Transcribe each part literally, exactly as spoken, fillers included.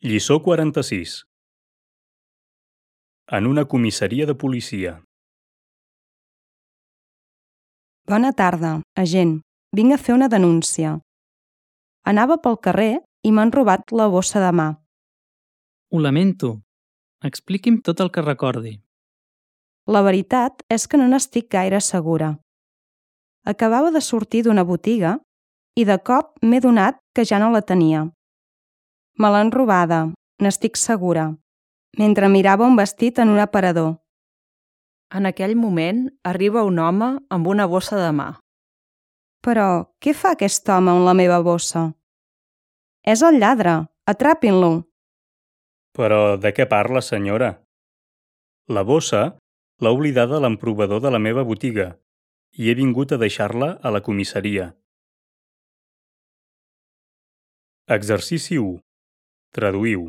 Lliçó quaranta-sis. En una comissaria de policia. Bona tarda, agent. Vinc a fer una denúncia. Anava pel carrer i m'han robat la bossa de mà. Ho lamento. Expliqui'm tot el que recordi. La veritat és que no n'estic gaire segura. Acabava de sortir d'una botiga i de cop m'he donat que ja no la tenia. Me l'han robada, n'estic segura, mentre mirava un vestit en un aparador. En aquell moment arriba un home amb una bossa de mà. Però què fa aquest home amb la meva bossa? És el lladre, atrapin-lo! Però de què parla, senyora? La bossa l'ha oblidada l'emprovador de la meva botiga i he vingut a deixar-la a la comissaria. Exercici u. Traduïu.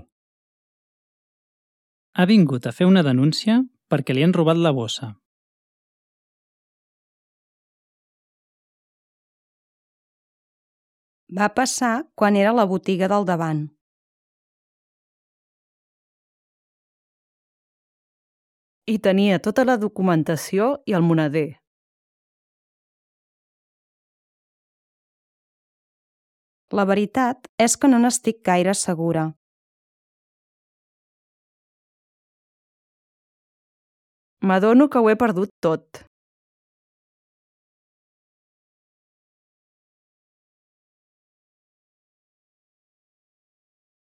Ha vingut a fer una denúncia perquè li han robat la bossa. Va passar quan era a la botiga del davant. I tenia tota la documentació i el moneder. La veritat és que no n'estic gaire segura. M'adono que ho he perdut tot.